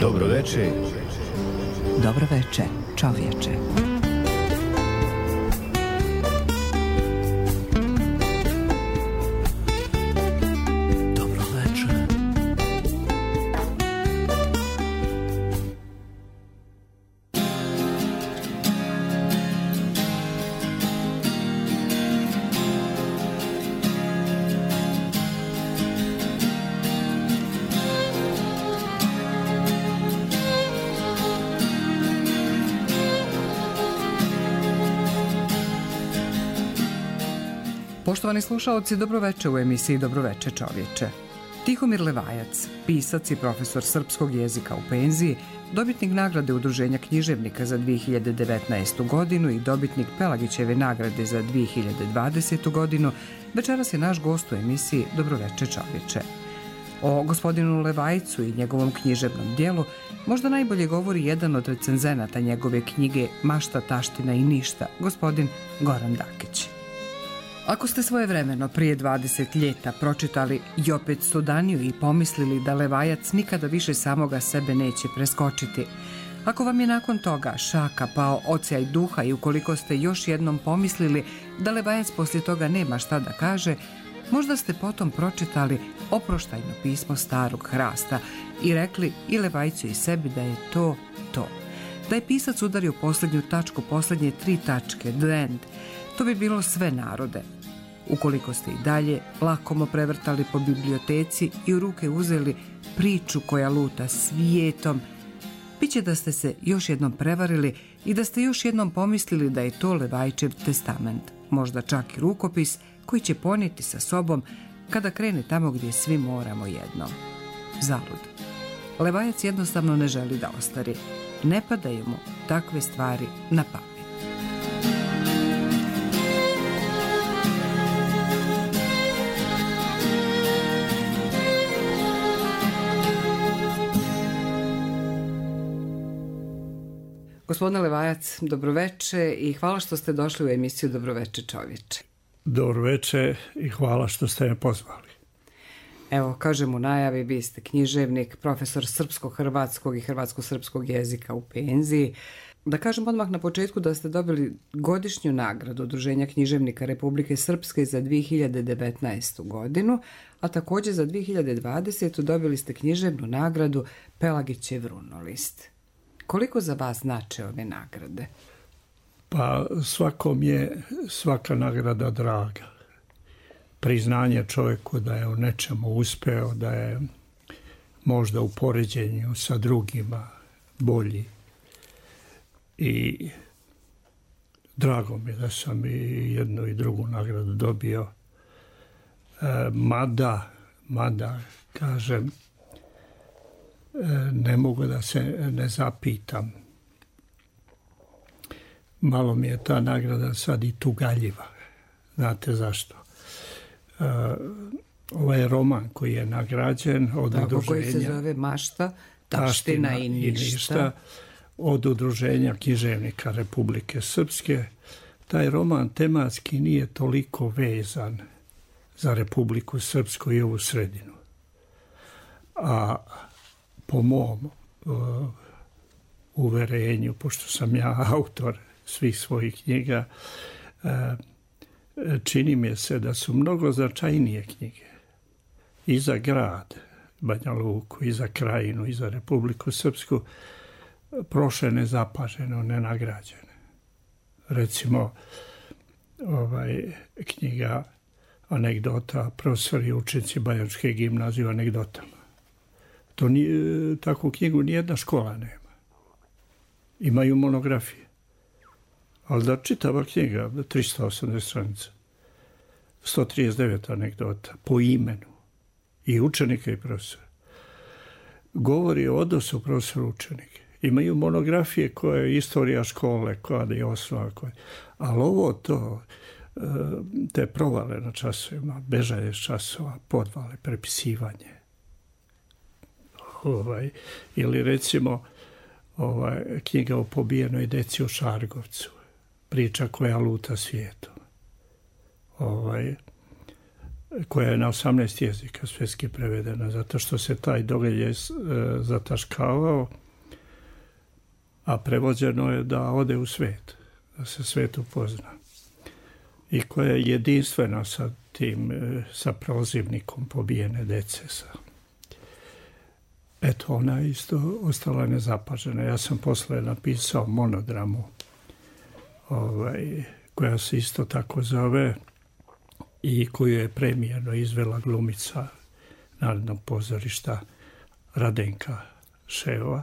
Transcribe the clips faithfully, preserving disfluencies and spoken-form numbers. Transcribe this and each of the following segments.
Dobro veče. Dobro veče, čovječe. Dobro veče. Poštovani slušaoci, dobroveče u emisiji Dobroveče čovječe. Tihomir Levajac, pisac i profesor srpskog jezika u penziji, dobitnik nagrade Udruženja književnika za dvije hiljade devetnaestu godinu i dobitnik Pelagićeve nagrade za dvije hiljade dvadesetu godinu, večeras je naš gost u emisiji Dobroveče čovječe. O gospodinu Levajcu i njegovom književnom dijelu možda najbolje govori jedan od recenzenata njegove knjige Mašta, taština i ništa, gospodin Goran Dakić. Ako ste svojevremeno prije dvadeset ljeta pročitali Jopet Sudaniju i pomislili da Levajac nikada više samoga sebe neće preskočiti, ako vam je nakon toga šaka pao ocijaj duha i ukoliko ste još jednom pomislili da Levajac poslije toga nema šta da kaže, možda ste potom pročitali Oproštajno pismo starog hrasta i rekli i Levajcu i sebi da je to to. Da je pisac udario posljednju tačku, posljednje tri tačke, the end, to bi bilo sve narode. Ukoliko ste i dalje lakomo prevrtali po biblioteci i u ruke uzeli priču koja luta svijetom, bit će da ste se još jednom prevarili i da ste još jednom pomislili da je to Levajčev testament, možda čak i rukopis koji će ponijeti sa sobom kada krene tamo gdje svi moramo jednom. Zalud. Levajac jednostavno ne želi da ostari. Ne padaju mu takve stvari na pamet. Gospodine Levajac, dobroveče i hvala što ste došli u emisiju Dobroveče čovječe. Dobroveče i hvala što ste me pozvali. Evo, kažem u najavi, vi ste književnik, profesor srpsko-hrvatskog i hrvatsko-srpskog jezika u penziji. Da kažem odmah na početku da ste dobili godišnju nagradu Udruženja književnika Republike Srpske za dvije hiljade devetnaestu godinu, a također za dvije hiljade dvadesetu dobili ste književnu nagradu Pelagićev runolist. Koliko za vas znače ove nagrade? Pa svakom je svaka nagrada draga. Priznanje čovjeku da je u nečemu uspeo, da je možda u poređenju sa drugima bolji. I drago mi je da sam i jednu i drugu nagradu dobio. E, mada, mada, kažem, ne mogu da se ne zapitam. Malo mi je ta nagrada sad i tugaljiva. Znate zašto? Uh, ovaj roman koji je nagrađen od Tako, udruženja... koji se zove Mašta, taština, taština i ništa. i ništa. Od Udruženja književnika Republike Srpske. Taj roman tematski nije toliko vezan za Republiku Srpsku i ovu sredinu. A po mom uh, uverenju, pošto sam ja autor svih svojih knjiga, uh, čini mi se da su mnogo značajnije knjige i za grad Banja Luku, i za krajinu, i za Republiku Srpsku prošle nezapaženo, nenagrađene. Recimo, ovaj, knjiga Anegdota, profesori i učenici Banjačke gimnazije o anegdotama. To nije, takvu knjigu nijedna škola nema. Imaju monografije. Ali da čitava knjiga, tristo osamdeset stranica, sto trideset devet anegdota, po imenu, i učenika i profesora, govori o odnosu profesora učenike. Imaju monografije koje je istorija škole, koja je osnova, koja... ali ovo to, te provale na časovima, bežanje s časova, podvale, prepisivanje, Ovaj, ili recimo ovaj, knjiga o pobijenoj deci u Šargovcu, priča koja luta svijetom. Ovaj, koja je na osamnaest jezika svjetski prevedena, zato što se taj događaj zataškavao, a prevođeno je da ode u svijet, da se svijet upozna. I koja je jedinstvena sa tim, sa prozivnikom pobijene dece. Eto, ona je isto ostala nezapažena. Ja sam posle napisao monodramu, ovaj, koja se isto tako zove i koju je premijerno izvela glumica Narodnog pozorišta Radenka Ševa.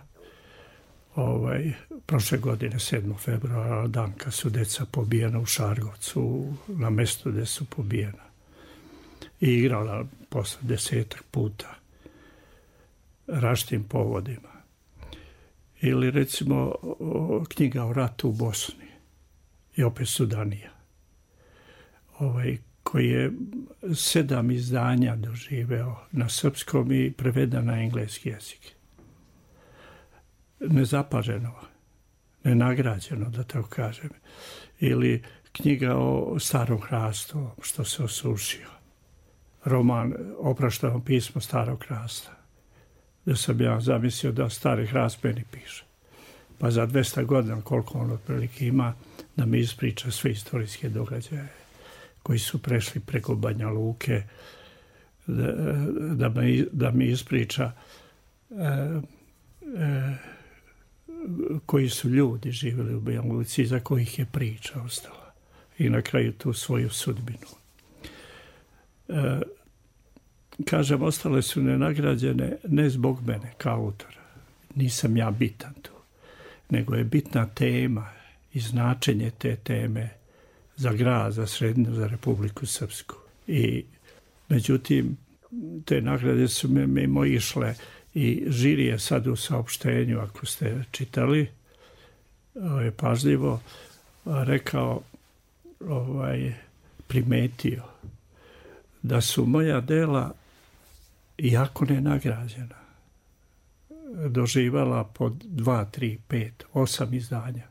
Ovaj, prošle godine, sedmog februara, dan kad su deca pobijena u Šargovcu, na mjestu gdje su pobijena. I igrala posle desetak puta različitim povodima. Ili recimo knjiga o ratu u Bosni i opet Sudanija, ovaj, koji je sedam izdanja doživeo na srpskom i preveden na engleski jezik. Nezapaženo, nenagrađeno, da tako kažem. Ili knjiga o starom hrastu, što se osušio. Roman Oprašteno pismo starog hrasta. Da sam ja zamislio da stari hrast meni piše. Pa za dvesta godina, koliko on otprilike ima, da mi ispriča sve istorijske događaje koji su prešli preko Banja Luke, da, da, mi, da mi ispriča e, e, koji su ljudi živjeli u Banja Luci, za kojih je priča ostala. I na kraju tu svoju sudbinu. E, kažem, ostale su nenagrađene ne zbog mene kao autora. Nisam ja bitan tu. Nego je bitna tema i značenje te teme za grad, za Srednju, za Republiku Srpsku. I međutim, te nagrade su me mimo išle i žiri je sad u saopštenju, ako ste čitali, je pažljivo rekao, ovaj, primetio da su moja dela, iako nenagrađena, doživala po dva, tri, pet, osam izdanja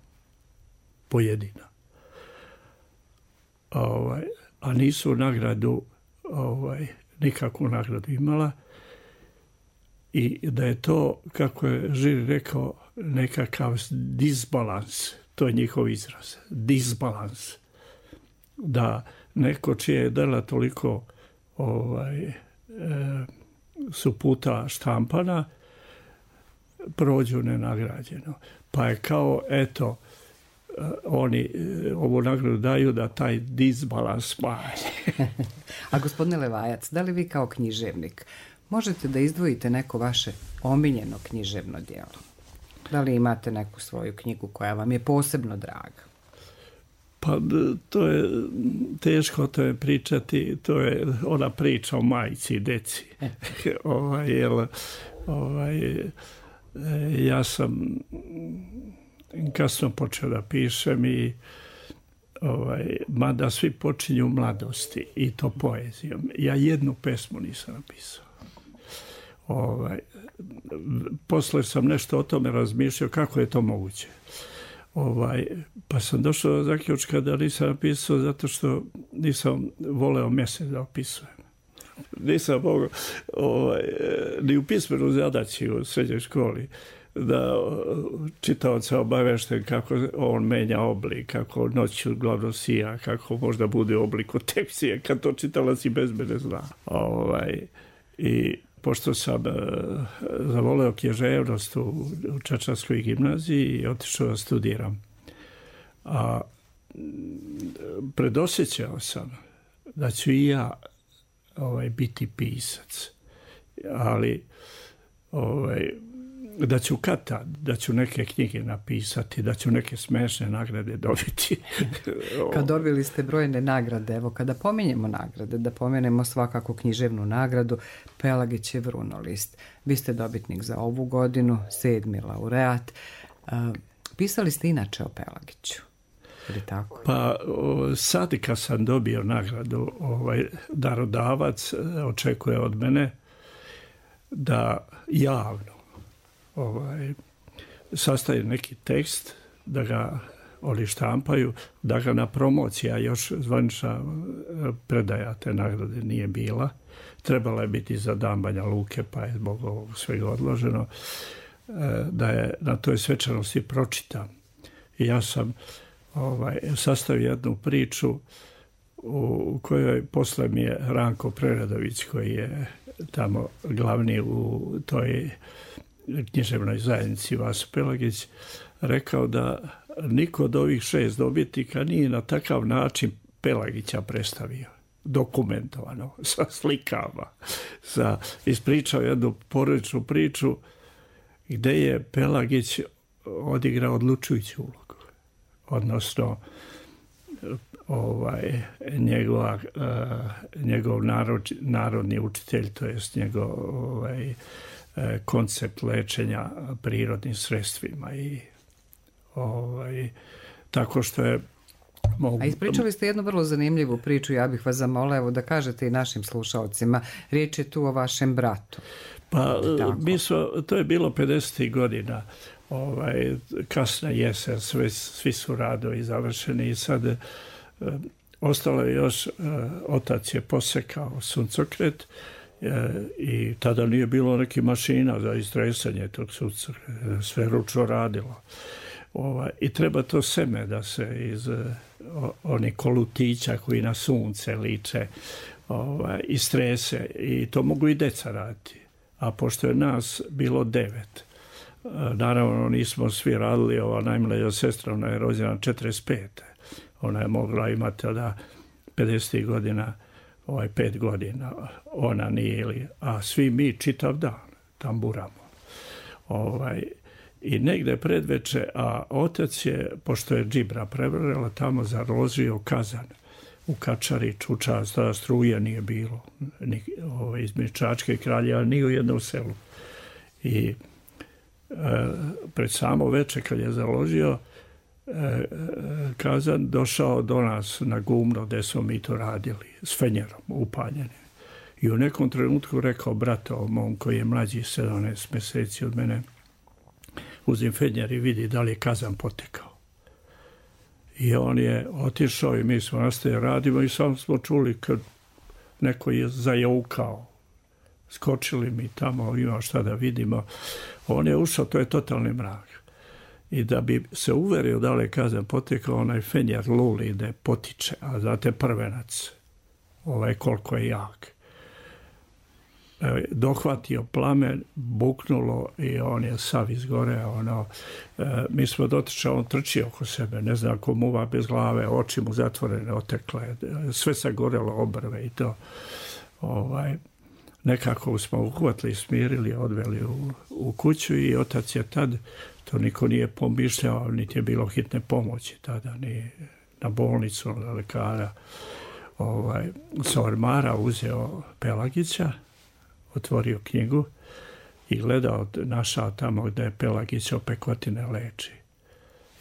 pojedina. Ovaj, a nisu nagradu, ovaj, nikakvu nagradu imala i da je to, kako je žiri rekao, nekakav disbalans, to je njihov izraz, disbalans, da neko čije je dela toliko ovaj, e, su puta štampana, prođu nenagrađeno. Pa je kao, eto, oni ovu nagradu daju da taj disbalans smanje. A gospodine Levajac, da li vi kao književnik možete da izdvojite neko vaše omiljeno književno djelo? Da li imate neku svoju knjigu koja vam je posebno draga? Pa to je teško to je pričati, to je ona priča o majci i deci. ovaj, jel, ovaj, ja sam kasno počeo da pišem i ovaj, mada svi počinju u mladosti i to poezijom. Ja jednu pesmu nisam napisao. Ovaj, posle sam nešto o tome razmišljao kako je to moguće. Ovaj, pa sam došao do zaključka da nisam napisao zato što nisam voleo mjesec da opisujem. Nisam mogao ovaj, ni u pismenu zadaći u srednjoj školi da čitaoca obavešten kako on menja oblik, kako noću glavno sija, kako možda bude oblik u tekcije, kad to čitalac i bez mene zna. Ovaj, i pošto sam uh, zavoleo književnost u, u Čačanskoj gimnaziji i otišao da studiram. A predosjećao sam da ću i ja ovaj, biti pisac, ali ovaj, da ću kad tad, da ću neke knjige napisati, da ću neke smešne nagrade dobiti. Kad dobili ste brojne nagrade, evo kada pominjemo nagrade, da pomenemo svakako književnu nagradu Pelagićev runolist. Vi ste dobitnik za ovu godinu, sedmi laureat. Pisali ste inače o Pelagiću, ili tako? Pa sad kad sam dobio nagradu, ovaj, darodavac očekuje od mene da javno ovaj, sastaje neki tekst, da ga oni štampaju, da ga na promocija još zvanična predaja te nagrade nije bila. Trebala je biti za dan Banja Luke, pa je zbog ovog svega odloženo, da je na toj svečanosti pročitam. I ja sam ovaj, sastavio jednu priču u kojoj posle mi je Ranko Preradović, koji je tamo glavni u toj književnoj zajednici Vaso Pelagić, rekao da niko od ovih šest dobitnika nije na takav način Pelagića predstavio, dokumentovano, sa slikama, sa, ispričao jednu porodičnu priču gde je Pelagić odigrao odlučujuću ulogu. Odnosno, ovaj, njegova, uh, njegov narod, narodni učitelj, to jest njegov ovaj, koncept lečenja prirodnim sredstvima i ovaj, tako što je mogu... A ispričali ste jednu vrlo zanimljivu priču, ja bih vas zamolila evo da kažete i našim slušalcima. Riječ je tu o vašem bratu. Pa mi smo, to je bilo pedesetih godina, ovaj, kasna jesen, sve, svi su radovi završeni i sad eh, ostalo je još, eh, otac je posekao suncokret eh, i tada nije bilo nekih mašina za istresanje tog suncokreta, sve ručno radilo. Ovaj, i treba to seme da se iz o, onih kolutića koji na sunce liče ovaj, istrese i to mogu i deca raditi. A pošto je nas bilo devet, naravno nismo svi radili, ova najmlađa sestra, ona je rođena četrdeset pete. Ona je mogla imati da pedeset godina, ovaj pet godina, ona nije, a svi mi čitav dan tamburamo. Ovaj, I negde predveče, a otac je, pošto je džibra prevrela, tamo zarožio kazan u Kačari, Čučas, tada struje nije bilo, ni, ove, između Čačke i Kraljeva, ni u jednom selu. I e, pred samo veče, kad je založio e, kazan, došao do nas na Gumno, gde smo mi to radili, s fenjerom upaljenim. I u nekom trenutku rekao brato mom, koji je mlađi sedamnaest mjeseci od mene, uzim fenjer i vidi da li je kazan potekao. I on je otišao i mi smo nastavili radimo i samo smo čuli kad neko je zajaukao. Skočili mi tamo, ima šta da vidimo. On je ušao, to je totalni mrak. I da bi se uverio da li je kazan potekao, onaj fenjer luli da potiče, a znate prvenac, ovaj koliko je jak. Dohvatio plamen, buknulo i on je sav izgoreo. Ono, e, mi smo dotičali, on trči oko sebe, ne znam ko muva bez glave, oči mu zatvorene, otekle, sve sagorelo, obrve i to. Ovaj, nekako smo uhvatili, smirili, odveli u, u kuću i otac je tad, to niko nije pomišljao, niti je bilo hitne pomoći tada, ni na bolnicu, na lekara. Ovaj, sa ormara uzeo Pelagića, otvorio knjigu i gledao, našao tamo gde je Pelagić opekotine leči.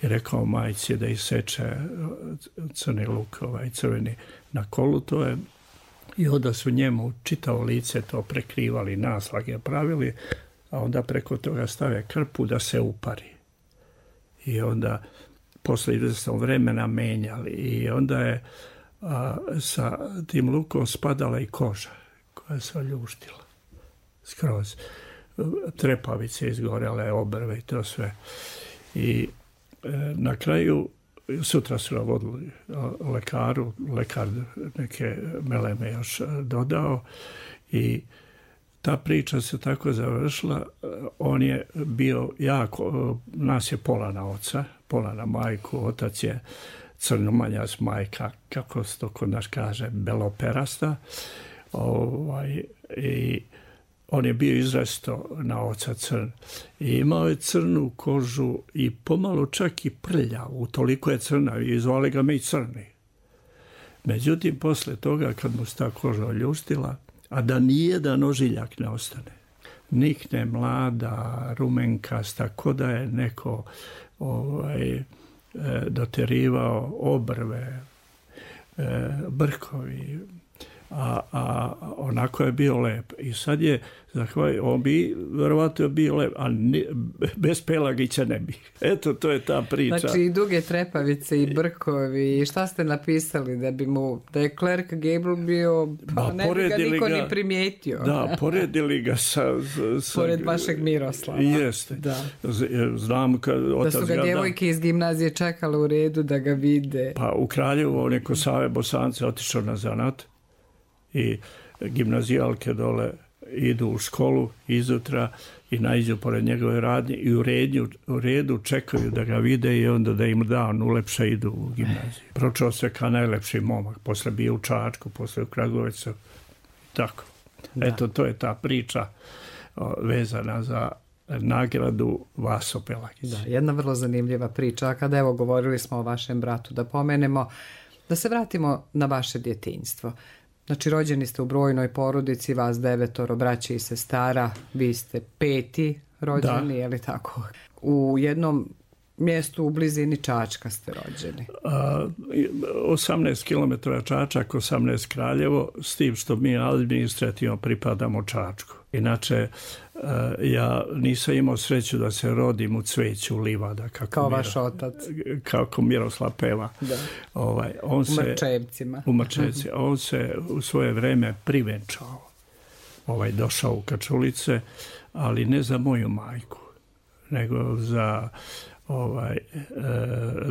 I rekao majci da iseče crni luk, ovaj crveni na kolu, to je, i onda su njemu čitavo lice to prekrivali, naslage pravili, a onda preko toga stave krpu da se upari. I onda posle izvesnog vremena menjali i onda je a, sa tim lukom spadala i koža koja se oljuštila skroz. Trepavice izgorele, obrve i to sve. I e, na kraju sutra su navodili lekaru, lekar neke meleme još dodao i ta priča se tako završila. On je bio jako, nas je pola na oca, pola na majku, otac je crnomanjac, majka, kako se to kod nas kaže, beloperasta. Ovaj, i on je bio izrasto na oca crn. I imao je crnu kožu i pomalo čak i prljavu, toliko je crna i zvali ga mi crni. Međutim, posle toga, kad mu se ta koža oljuštila, a da nijedan ožiljak ne ostane, nikne mlada, rumenkasta, ko da je neko ovaj, doterivao obrve, brkovi, a, a onako je bio lep. I sad je, zahvalj, on bi verovatno bio lep, ali ne, bez Pelagića ne bi. Eto, to je ta priča. Znači i duge trepavice i brkovi, i šta ste napisali da bi mu, da je Clark Gable bio, pa ba, ne bi ga niko ga, ni primijetio. Da, poredili ga sa... sa Pored vašeg Miroslava. Jeste. Da. Znam kad otac da su ga djevojke iz gimnazije čekale u redu da ga vide. Pa u Kraljevu, on je kod Save Bosance otišao na zanat i gimnazijalke dole idu u školu izutra i naiđu pored njegove radnje i u redu, u redu čekaju da ga vide i onda da im da on ulepša idu u gimnaziju. Pročeo se kao najlepši momak, posle bio u Čačku, posle u Kragovicu, tako. Da. Eto, to je ta priča o, vezana za nagradu Vaso Pelagić. Da, jedna vrlo zanimljiva priča. A kada evo govorili smo o vašem bratu, da pomenemo, da se vratimo na vaše djetinjstvo. Znači, rođeni ste u brojnoj porodici, vas devetoro braće i sestara, vi ste peti rođeni, da. Je li tako? U jednom mjestu u blizini Čačka ste rođeni. A, osamnaest kilometara Čačak, osamnaest Kraljevo, s tim što mi administrativno pripadamo Čačku. Inače, ja nisam imao sreću da se rodim u Cveću livada. Kako kao Miro, vaš otac. Kako Miroslav peva. Da. Ovaj, on u se, Mrčevcima. U Mrčevci. On se u svoje vreme privenčao. Ovaj, došao u Kačulice, ali ne za moju majku, nego za ovaj, e,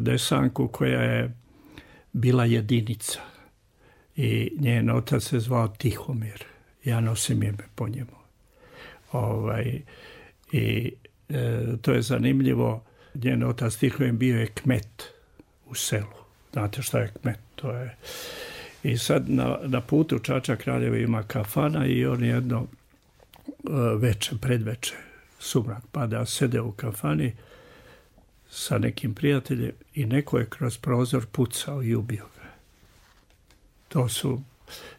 Desanku koja je bila jedinica. I njen otac se zvao Tihomir. Ja nosim ime po njemu. Ovaj, i e, to je zanimljivo. Njen otac Tihomir bio je kmet u selu. Znate šta je kmet? To je. I sad na, na putu Čačak Kraljevo ima kafana i on jedno e, veče, predveče, sumrak pada, sede u kafani sa nekim prijateljem i neko je kroz prozor pucao i ubio ga. To su,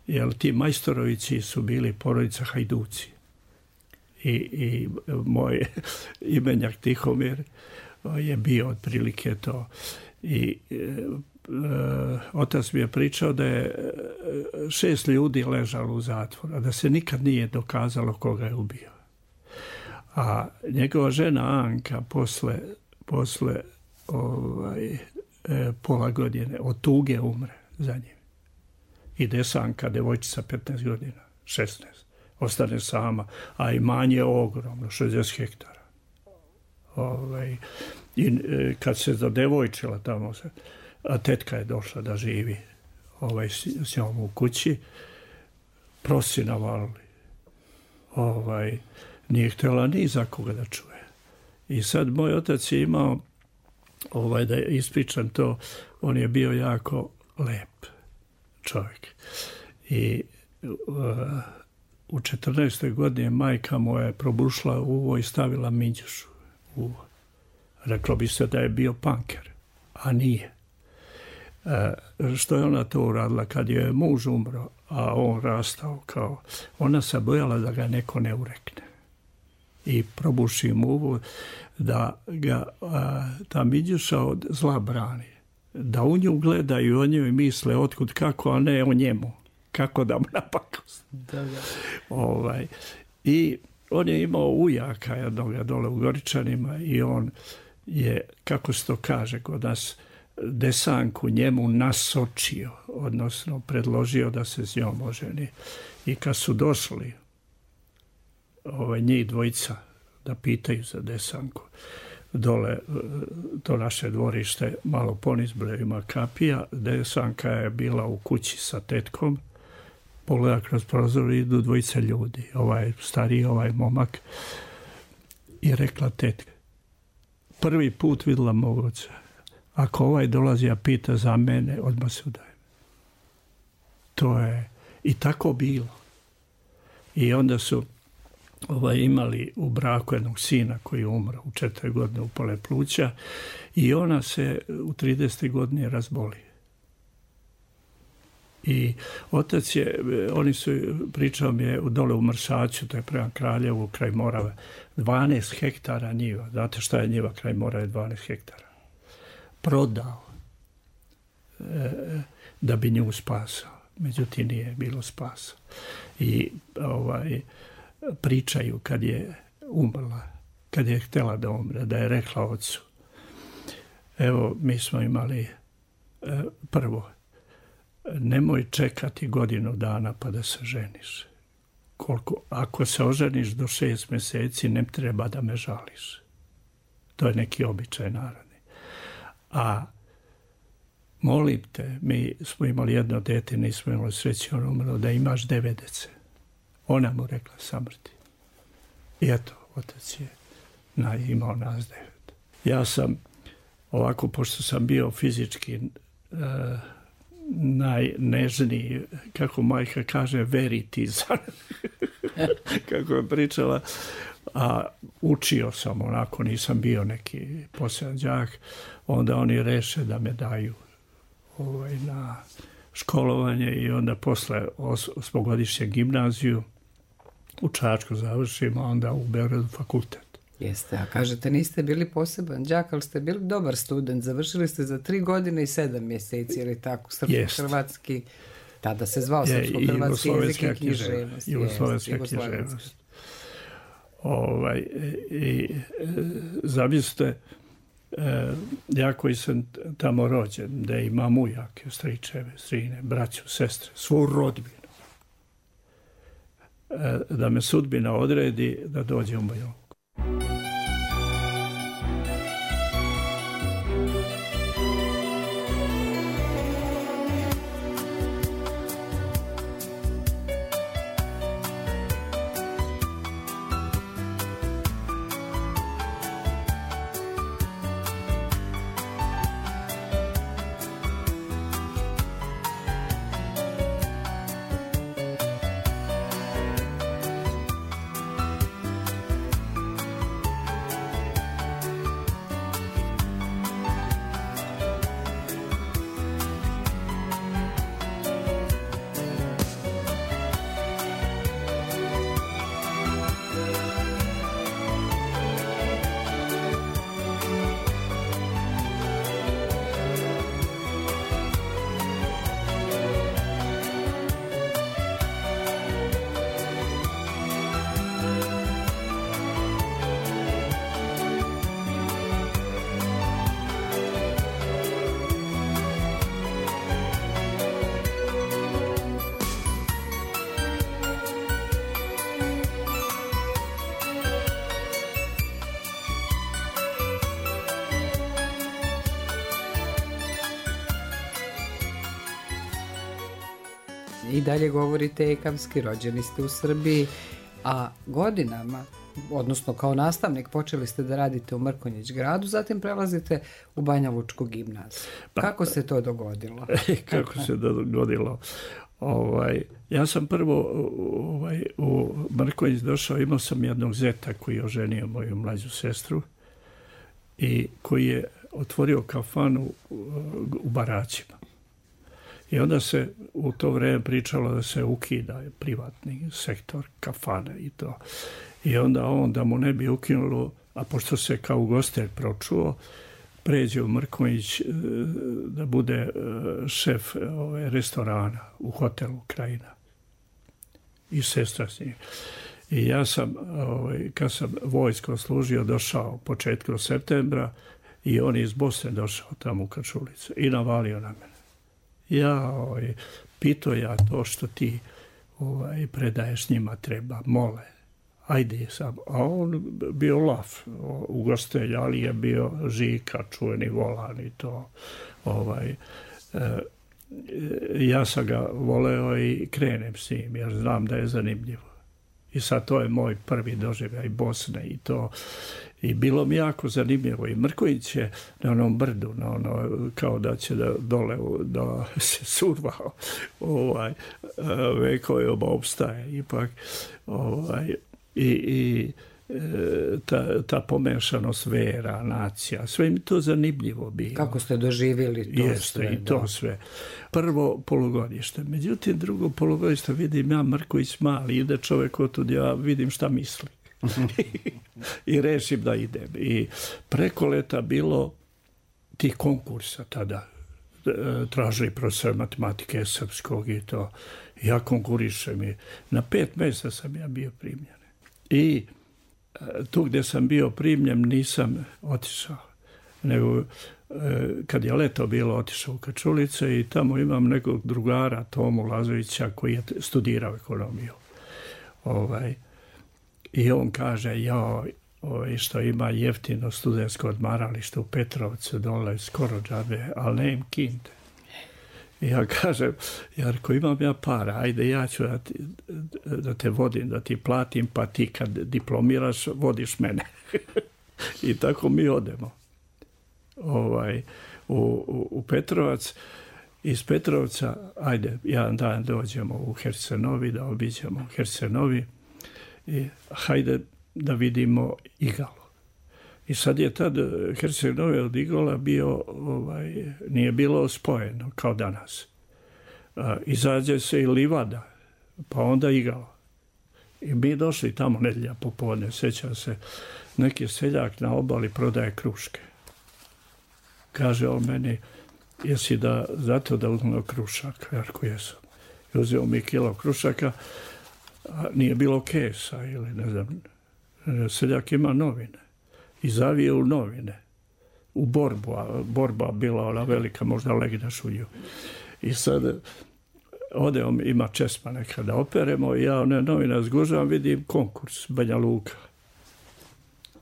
jer ti Majstorovići su bili porodica Hajduci. I, i moj imenjak Tihomir je bio otprilike to. I e, e, otac mi je pričao da je šest ljudi ležalo u zatvoru, a da se nikad nije dokazalo koga je ubio. A njegova žena Anka posle, posle ovaj, e, pola godine od tuge umre za njim. I Desanka, devojčica petnaest godina, šesnaest, ostane sama, a imanje je ogromno, šezdeset hektara. Ovaj, i e, kad se zadevojčila tamo, se, a tetka je došla da živi ovaj, s, s njom u kući, prosi navalili. Ovaj, nije htjela ni za koga da čuje. I sad moj otac je imao, ovaj, da ispričam to, on je bio jako lep čovjek. I uh, u četrnaestoj godini majka mu je probušla uvo i stavila minđušu u uvo. Reklo bi se da je bio panker, a nije. Uh, što je ona to uradila kad je muž umro, a on rastao kao, ona se bojala da ga neko ne urekne. I probuši mu uvo da ga uh, ta minđuša od zla brani. Da u nju gledaju, o njoj misle otkud kako, a ne o njemu. Kako da mu napakost. Da, da. Ovaj, i on je imao ujaka jednoga dole u Goričanima i on je, kako se to kaže kod nas, Desanku njemu nasočio, odnosno predložio da se s njom oženi. I kad su došli ovaj, njih dvojica da pitaju za Desanku, dole, to naše dvorište, malo poniz brevima kapija, Desanka je bila u kući sa tetkom, pogleda kroz prozor i idu dvojice ljudi, ovaj stariji, ovaj momak, i rekla tetka, prvi put vidjela mog oca, ako ovaj dolazi a pita za mene, odmah se udajem. To je i tako bilo. I onda su ovaj, imali u braku jednog sina koji je umro u četiri godine u pole pluća i ona se u tridesetoj godini razboli. I otac je, oni su, pričao mi je dole u Mrsaću, to je prema Kraljevu, kraj Morave, dvanaest hektara njiva. Znate šta je njiva kraj Morave, dvanaest hektara? Prodao e, da bi nju spasao. međutim nije bilo spasa. I ovaj, pričaju kad je umrla, kad je htjela da umre, da je rekla ocu, evo mi smo imali e, prvo, nemoj čekati godinu dana pa da se ženiš. Koliko, ako se oženiš do šest mjeseci, ne treba da me žališ. To je neki običaj narodni. A molim te, mi smo imali jedno dete, nismo imali sreće, on umro, da imaš devet dece. Ona mu rekla samrti. I eto, otac je na, imao nas devet. Ja sam, ovako, pošto sam bio fizički uh, najnežniji, kako majka kaže, veritizan, kako je pričala, a učio sam onako, nisam bio neki poseban đak, onda oni reše da me daju ovaj, na školovanje i onda posle osmogodišnje gimnaziju u Čačku završim, a onda u Beogradu fakultet. Jeste, a kažete niste bili poseban đak, ali ste bili dobar student, završili ste za tri godine i sedam mjeseci, ili tako, srpsko-hrvatski, tada se zvao srpsko-hrvatski jezik i književnost. Jugoslovenska književnost. Ovaj, i zamislite, ja koji sam tamo rođen, da imam ujake, stričeve, strine, braću, sestre, svu rodbinu, da me sudbina odredi da dođem u Banja Luku. I dalje govorite ekavski, rođeni ste u Srbiji, a godinama, odnosno kao nastavnik, počeli ste da radite u Mrkonjić gradu, zatim prelazite u Banja Lučku gimnaziju. Kako se to dogodilo? Kako se dogodilo? Ovaj, ja sam prvo ovaj, u Mrkonjić došao, imao sam jednog zeta koji je oženio moju mlađu sestru i koji je otvorio kafanu u Baraćima. I onda se u to vrijeme pričalo da se ukida privatni sektor kafane i to. I onda on, da mu ne bi ukinulo, a pošto se kao ugostitelj pročuo, pređe u Mrkonjić da bude šef ove restorana u hotelu Krajina. I sestra s njim. I ja sam, ovaj, kad sam vojsko služio, došao početkom septembra i on je iz Bosne došao tamo u Kačulicu i navalio na mene. Ja ovaj, pitao ja to što ti ovaj, predaješ njima treba, mole. Ajde sam. A on bio laf, ugostelj, ali je bio Žika, čuveni volan i to. Ovaj, e, ja sam ga voleo i krenem s njim, jer znam da je zanimljivo. I sad to je moj prvi doživljaj Bosne i to. I bilo mi jako zanimljivo. I Mrkonjić je na onom brdu, na ono, kao da će da dole da se survao. Ovaj, vekove oba opstaje. Ipak, ovaj, i, i ta, ta pomešanost vera, nacija, sve mi to zanimljivo bilo. Kako ste doživjeli to Jeste, sve? Jeste, i to da. Sve. Prvo polugodište. Međutim, drugo polugodište vidim ja Mrkonjić mali, ide čovjek otud, ja vidim šta misli. I rešim da idem. I preko leta bilo tih konkursa tada. tražili profesor matematike srpskog i to. Ja konkurišem i na pet mjesta sam ja bio primljen. I tu gdje sam bio primljen nisam otišao, nego kad je leto bilo otišao u Kačulice i tamo imam nekog drugara, Tomu Lazovića, koji je studirao ekonomiju. Ovaj, I on kaže, joj, ovaj, što ima jeftino studentsko odmaralište u Petrovcu, dole skoro džabe, ali ne im kinte. I ja kažem, Jarko, imam ja para, ajde ja ću da, ti, da te vodim, da ti platim, pa ti kad diplomiraš, vodiš mene. I tako mi odemo ovaj, u, u, u Petrovac. Iz Petrovca, ajde, jedan dan dođemo u Hercenovi, da obiđemo Hercenovi i hajde da vidimo igalo. I sad je tad Herceg-Novi od Igola bio, ovaj, nije bilo spojeno kao danas. A, izađe se i livada, pa onda igalo. I mi došli tamo nedjelja popodne, sjećam se, neki seljak na obali prodaje kruške. Kaže on meni, jesi da, zato da uzmemo krušak? Jarko, jesam. I uzeo mi kilo krušaka, a nije bilo kesa ili ne znam, seljak ima novine. I zavije u novine, u borbu, a borba bila ona velika, možda legneš u nju. I sad ode on, ima česma neka da operemo i ja one novine zgužavam, vidim konkurs Banja Luka.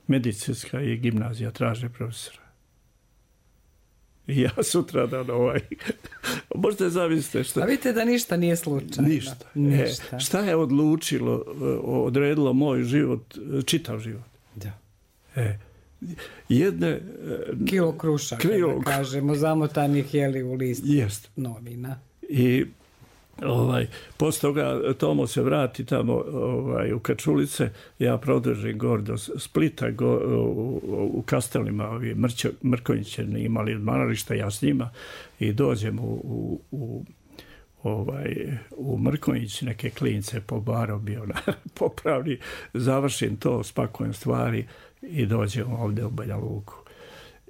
Medicinska i gimnazija traže profesora. I ja sutra dan ovaj... Možete zamislite šta... A vidite da ništa nije slučajno. Ništa. ništa. E, šta je odlučilo, odredilo moj život, čitav život? Da. E, jedne... Kilo krušaka, kilo, da kažemo, zamotanih jeli u list jest. novina. I ovaj, posle toga Tomo se vrati tamo ovaj, u Kačulice, ja produžim gor do Splita, go, u, u Kastelima, ovi Mrćo, Mrkonjiće imali odmarališta, ja s njima, i dođem u, u, u Ovaj, u Mrkonjić neke klince po baru bio na popravni, završim to, spakujem stvari i dođem ovdje u Banja Luku.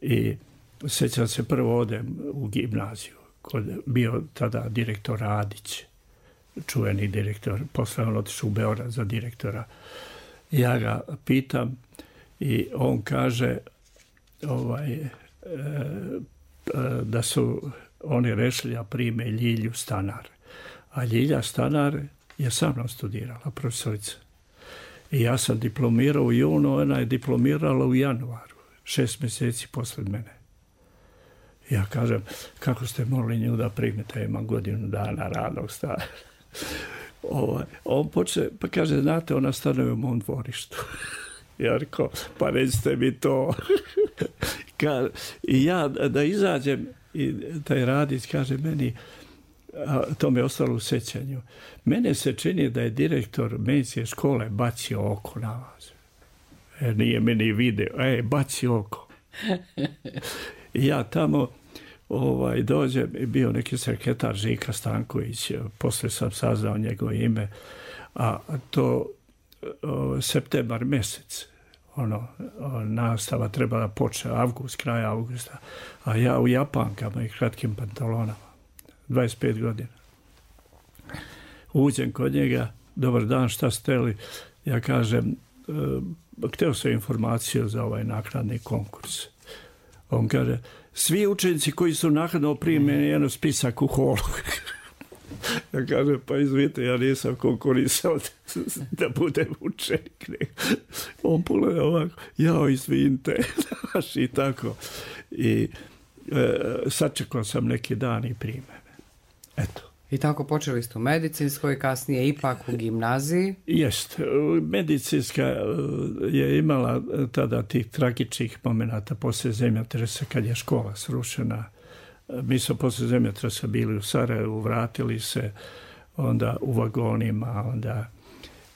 I sjećam se, prvo odem u gimnaziju, kod bio tada direktor Radić, čuveni direktor, posle on otišao u Beograd za direktora. Ja ga pitam i on kaže ovaj, e, da su oni rešili da prime Ljilju Stanar. A Ljilja Stanar je sa mnom studirala, profesorica. I ja sam diplomirao u junu, ona je diplomirala u januaru, šest mjeseci posle mene. Ja kažem, kako ste morali nju da primite, ja imam godinu dana radnog staža. Ovaj, on počne, pa kaže, znate, ona stanuje u mom dvorištu. Ja rekao, pa recite mi to. I ja da izađem, i taj Radić kaže meni, a to mi je ostalo u sećanju, mene se čini da je direktor medicinske škole bacio oko na vas. E, nije meni video, e, baci oko. I ja tamo ovaj, dođem, bio neki sekretar Žika Stanković, posle sam saznao njegovo ime, a to o, septembar mjesec, ono, nastava treba da počne avgust, kraj avgusta, a ja u japankama i kratkim pantalonama, dvadeset pet godina. Uđem kod njega, dobar dan, šta ste li? Ja kažem, e, hteo sam informaciju za ovaj naknadni konkurs. On kaže, svi učenici koji su naknadno primljeni, jedno spisak u holu. Ja kažem, pa izvite, ja nisam konkurisao da budem učenik. On pogleda ovako, jao, izvinite, i tako. I e, sačekao sam neki dan i prime me. Eto. I tako počeli ste u medicinskoj, kasnije ipak u gimnaziji. Jest. Medicinska je imala tada tih tragičnih momenata poslije zemljotresa kad je škola srušena. Mi smo poslije zemljotresa bili u Sarajevu, vratili se onda u vagonima, onda,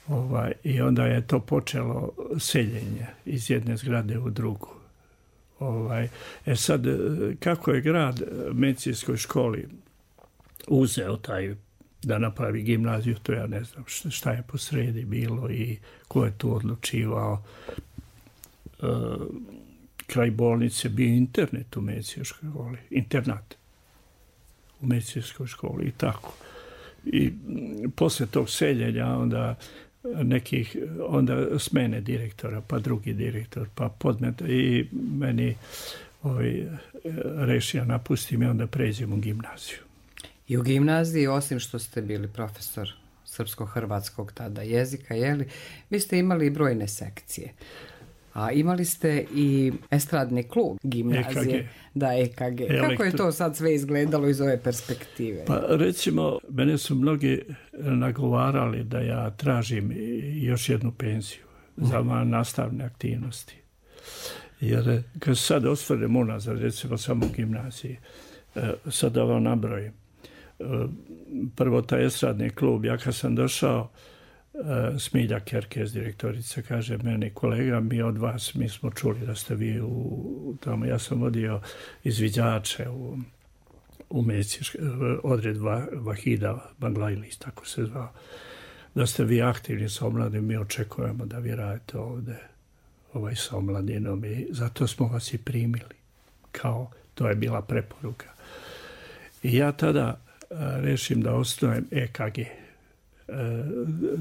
ovaj, i onda je to počelo seljenje iz jedne zgrade u drugu. Ovaj, e sad, kako je grad medicinskoj školi uzeo taj da napravi gimnaziju, to ja ne znam šta je posredi bilo i ko je tu odlučivao. E, kraj bolnice bio internet u medicinskoj školi, internat. u medicinskoj školi i tako. I posle tog seljenja onda nekih, onda smene direktora, pa drugi direktor, pa podmet i meni ovaj, rešio napustim i onda pređem u gimnaziju. I u gimnaziji, osim što ste bili profesor srpsko-hrvatskog tada jezika, jeli, vi ste imali brojne sekcije. A imali ste i estradni klub gimnazije. E K G. Da, E K G. Elektro... Kako je to sad sve izgledalo iz ove perspektive? Pa recimo, mene su mnogi nagovarali da ja tražim još jednu penziju za moje nastavne aktivnosti. Jer kad sad osvrnem unazad, recimo samo u gimnaziji, sad da vam nabrojim. Prvo taj estradni klub, ja kad sam došao, Smilja Kerkez, direktorica, kaže meni, kolega, mi od vas, mi smo čuli da ste vi u tamo, ja sam vodio izviđače u, u medicinske, odred Vahida Banglajlis, tako se zvao, da ste vi aktivni sa omladinom, mi očekujemo da vi radite ovde ovaj, sa omladinom i zato smo vas i primili, kao, to je bila preporuka. I ja tada rešim da osnujem E K G.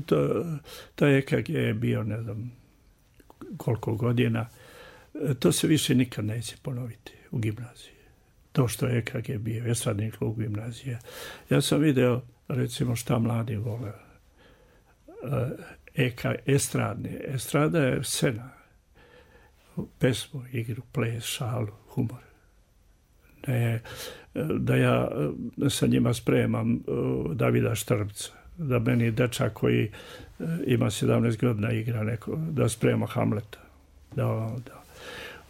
To, to E K G je bio ne znam koliko godina. To se više nikad neće ponoviti u gimnaziji. To što je E K G bio, estradni klub gimnazije. Ja sam video recimo šta mladi vole. E K G, estradni. Estrada je scena. Pesmu, igru, ples, šalu, humor. Ne, da ja sa njima spremam Davida Štrbca, da meni dečak koji ima sedamnaest godina igra neko, da sprema Hamleta. Da, da.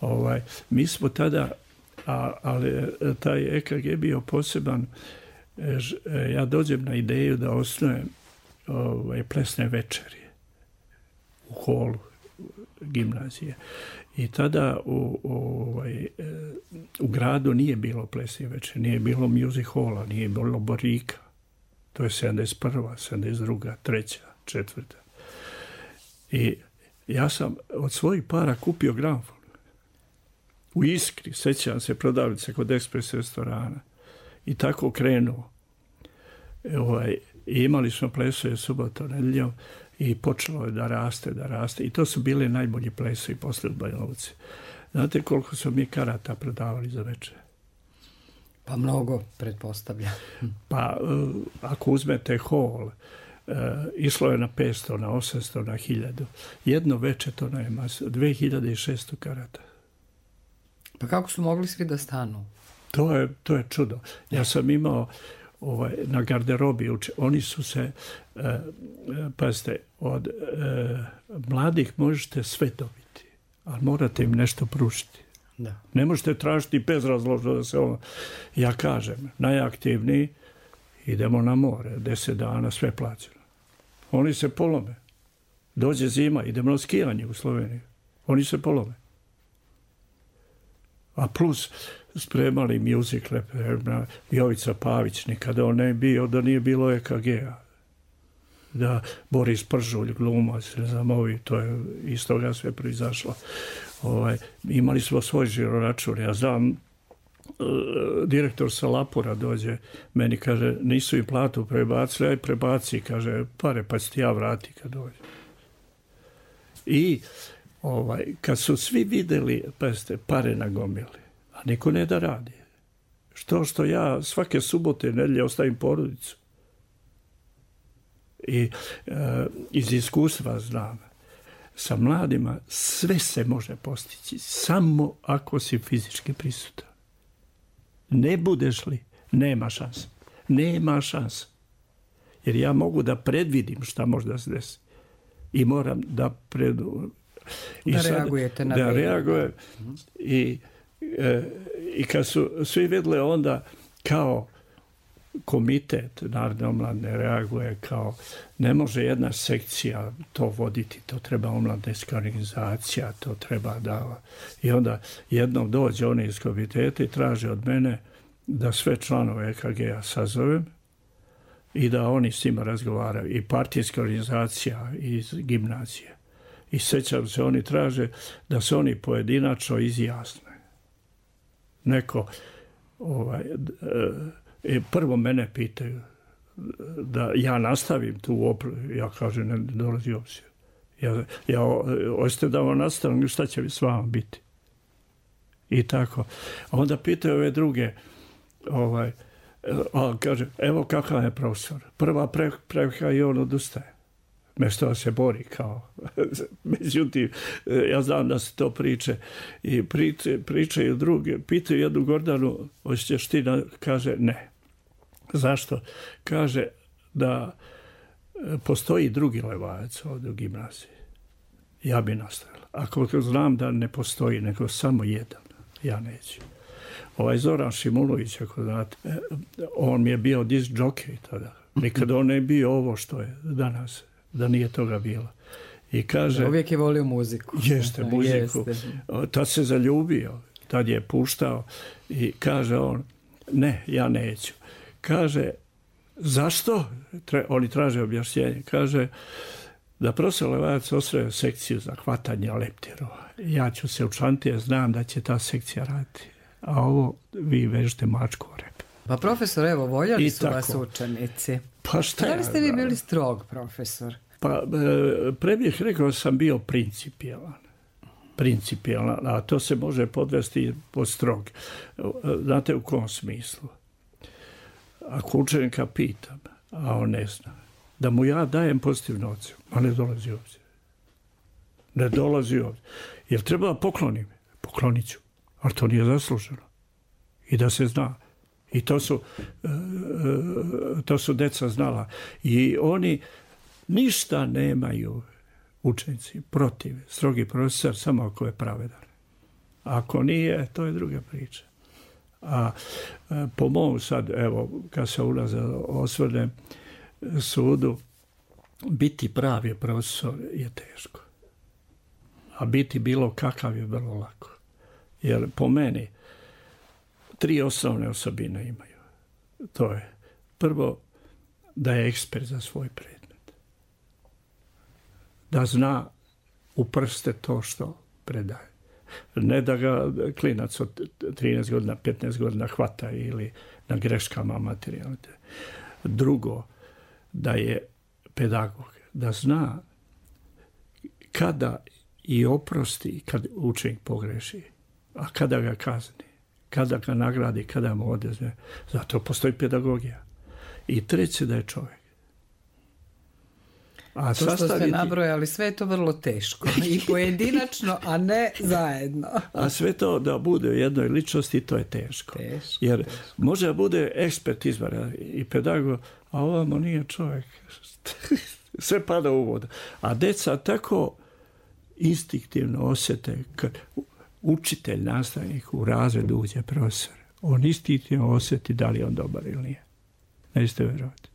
Ovaj, mi smo tada, a, ali taj E K G bio poseban, ja dođem na ideju da osnujem ovaj, plesne večeri u holu gimnazije. I tada u, ovaj, u gradu nije bilo plesnih večeri, nije bilo music halla, nije bilo Borika. To je sedamdeset prva, sedamdeset druga, treća, četvrta. I ja sam od svojih para kupio gramofon. U Iskri, sećam se, prodavnice kod Ekspres restorana. I tako krenuo. Ovaj, i imali smo plesove subotom, nedeljom i počelo je da raste, da raste. I to su bili najbolji plesovi posle u Banja Luci. Znate koliko su mi karata prodavali za večer? Pa mnogo, pretpostavljam. Pa ako uzmete hol, išlo je na petsto, na osamsto, na hiljadu. Jedno veče to nema, dve hiljade šesto karata. Pa kako su mogli svi da stanu? To je, to je čudo. Ja sam imao ovaj, na garderobi, uče, oni su se, eh, pazite, od eh, mladih možete sve dobiti, ali morate im nešto pružiti. Da. Ne možete tražiti bezrazložno da se ono... Ja kažem, najaktivniji, idemo na more, deset dana, sve plaćeno. Oni se polome. Dođe zima, idemo na skijanje u Sloveniju. Oni se polome. A plus spremali mjuzikle, Jovica Pavić, nikada on ne bio, da nije bilo E K G-a. Da Boris Pržulj, glumac, ne znam, ovi, to je iz toga sve proizašlo. Ovaj, imali smo svoj žiroračun. Ja znam, uh, direktor sa Lapura dođe, meni kaže, nisu im platu prebacili, aj prebaci, kaže, pare, pa ću ti ja vrati kad dođe. I ovaj, kad su svi videli, pa ste pare nagomili, a niko ne da radi. Što što ja svake subote, nedelje ostavim porodicu. I uh, iz iskustva znam, sa mladima sve se može postići, samo ako si fizički prisutan. Ne budeš li, nema šanse. Nema šanse. Jer ja mogu da predvidim šta može da se desi. I moram da predu... I da sad, reagujete na da reaguje. I, e, I kad su svi vidjeli onda kao komitet Narodne omladine reaguje kao ne može jedna sekcija to voditi, to treba omladinska organizacija, to treba da... I onda jednom dođe oni iz komiteta i traže od mene da sve članove E K G-a sazovem i da oni s njima razgovaraju. I partijska organizacija iz gimnazije. I sećam se, oni traže da se oni pojedinačno izjasne. Neko ovaj, I prvo mene pitaju da ja nastavim tu opru. Ja kažem, ne dolazi obzir. Ja, ja hoćete da vam nastavim, šta će s vama biti? I tako. A onda pitaju ove druge, ovaj, a kaže, evo kakav je profesor. Prva pre, previka i on odustaje. Mesto da se bori kao. Međutim, ja znam da se to priče i priče, pričaju druge. Pitaju jednu Gordanu, hoćeš ti da, kaže ne. Zašto? Kaže da postoji drugi Levajac ovdje u gimnaziji. Ja bi nastavila. Ako znam da ne postoji, nego samo jedan, ja neću. Ovaj Zoran Šimunović, ako znate, on mi je bio disk jockey tada. Nikada on ne bio ovo što je danas, da nije toga bilo. I kaže... Da, uvijek je volio muziku. Jeste, muziku. Jeste. Tad se zaljubio, tad je puštao i kaže on, ne, ja neću. Kaže, zašto? Tre, oni traže objašnjenje. Kaže, da profesor Levajac osvoje sekciju za hvatanje leptirova. Ja ću se učlaniti, jer znam da će ta sekcija raditi. A ovo vi vežete mačku o rep. Pa profesor, evo, voljeli su vas učenici. Pa šta da li ste vi bili strog, profesor? Pa pre bih rekao sam bio principijelan. Principijelan, a to se može podvesti pod strog. Znate u kom smislu? Ako učenika pitam, a on ne zna, da mu ja dajem pozitivnu ocjenu, a ne dolazi ovdje. Ne dolazi ovdje. Jer treba da poklonim. Poklonit ću. Ali to nije zasluženo. I da se zna. I to su, to su deca znala. I oni ništa nemaju učenici protiv. Strogi profesor, samo ako je pravedan. Ako nije, to je druga priča. A po mom sad, evo, kad se ulaze osvrnem sudu, biti pravi profesor je teško. A biti bilo kakav je vrlo lako. Jer po meni tri osnovne osobine imaju. To je prvo da je ekspert za svoj predmet. Da zna u prste to što predaje. Ne da ga klinac od trinaest godina, petnaest godina hvata ili na greškama materijalne. Drugo, da je pedagog, da zna kada i oprosti kad učenik pogreši, a kada ga kazni, kada ga nagradi, kada mu odezme. Zato postoji pedagogija. I treće, da je čovjek. A to što ste nabrojali, sve je to vrlo teško. I pojedinačno, a ne zajedno. A sve to da bude u jednoj ličnosti, to je teško. teško Jer teško. može da bude ekspert izvara i pedagog, a ovamo nije čovjek. Sve pada u vodu. A deca tako instinktivno osjete kad učitelj, nastavnik u razredu uđe profesor. On instinktivno osjeti da li je on dobar ili nije. Nećete vjerovati.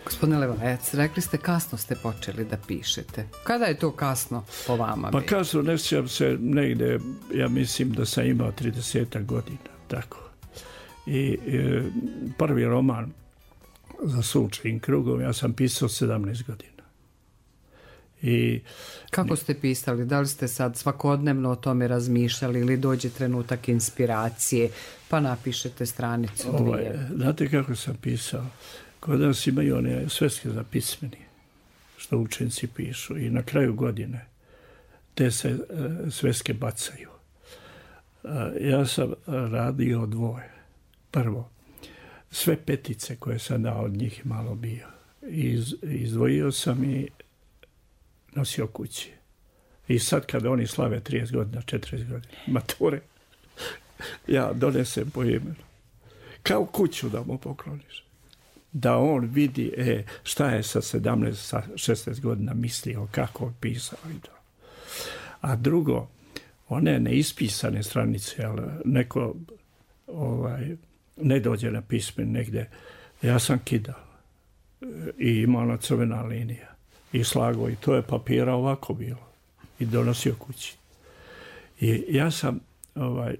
Gospodine Levajac, rekli ste kasno ste počeli da pišete. Kada je to kasno po vama? Pa kasno, ne sjećam se negde, ja mislim da sam imao trideset godina, tako. I e, prvi roman za Sunčevim krugom ja sam pisao sedamnaest godina. I kako ste pisali? Da li ste sad svakodnevno o tome razmišljali ili dođe trenutak inspiracije pa napišete stranicu dvije? Ovaj, znate kako sam pisao? Kod nas imaju one sveske za pismeni, što učenici pišu i na kraju godine te se e, sveske bacaju. E, ja sam radio dvoje. Prvo, sve petice koje sam dao od njih malo bio. Iz, izdvojio sam i nosio kući. I sad kada oni slave trideset godina, četrdeset godina, mature, ja donesem po imenu. Kao kuću da mu pokloniš. Da on vidi e, šta je sa sedamnaest, šesnaest godina mislio, kako je pisao i to. A drugo, one neispisane stranice, ali neko ovaj, ne dođe na pismen negde, ja sam kidao. I imao ona crvena linija. I slago, i to je papira ovako bilo. I donosio kući. I ja sam ovaj,